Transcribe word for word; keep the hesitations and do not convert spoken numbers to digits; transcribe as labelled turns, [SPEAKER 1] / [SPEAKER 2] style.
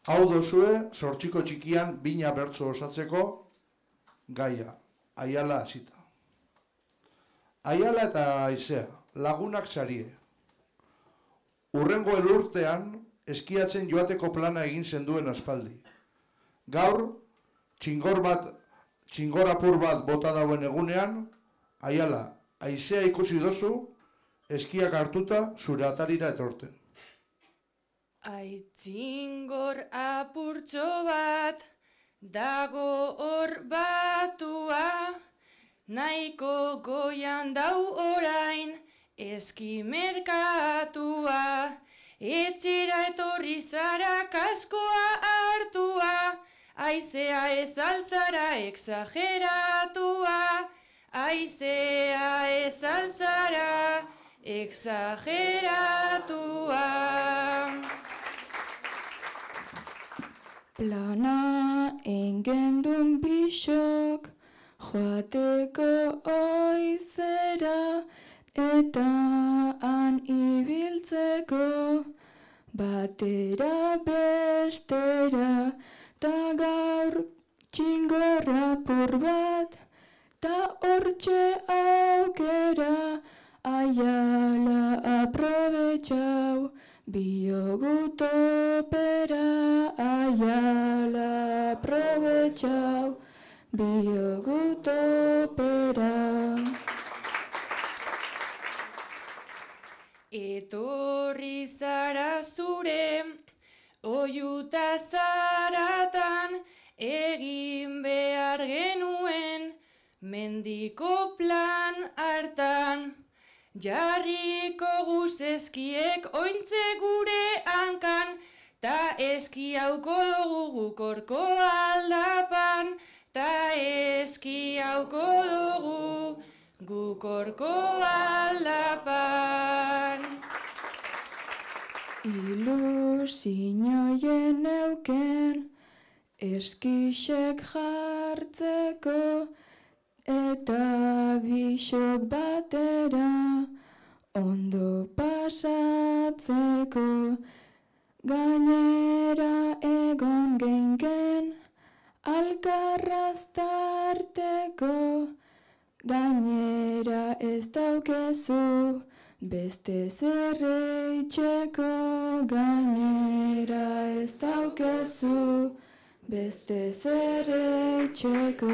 [SPEAKER 1] Hau dozue, zortziko txikian bina bertso osatzeko gaia, Aiala hasita. Aiala eta Aizea, lagunak sarie. Urrengo elurtean, eskiatzen joateko plana egin zenduen aspaldi. Gaur, txingor bat, txingor apur bat bota dauen egunean, Aiala, Aizea ikusi dozu, eskiak hartuta zure atarira etorten.
[SPEAKER 2] Aitzingor apurtxo bat, dago hor batua, nahiko goian dau orain, eski merkatua, etxera etorri zara kaskoa hartua, Aizea ez alzara exageratua, Aizea ez alzara exageratua.
[SPEAKER 3] Plana engendun bisok, joateko oizera, eta han ibiltzeko, batera bestera, ta gaur txingorrapur bat, ta hortxe aukera, Aiala aprobetxau, biogutopera, Aiala aprobetxau, biogutopera.
[SPEAKER 2] Etorri zara zure, oiuta zaratan, egin behar genuen, mendiko plan hartan. Jarriko guz eskiek ointze gure hankan, ta eski hauko dugu gukorko aldapan, ta eski hauko dugu gukorko aldapan.
[SPEAKER 3] Ilusinoien euken, eskixek jartzeko, eta bisok batera, ondo pasatzeko, gainera egon geinken, alkarraztarteko, gainera ez daukezu, beste zerreitzeko, gainera ez daukezu, beste zerreitzeko.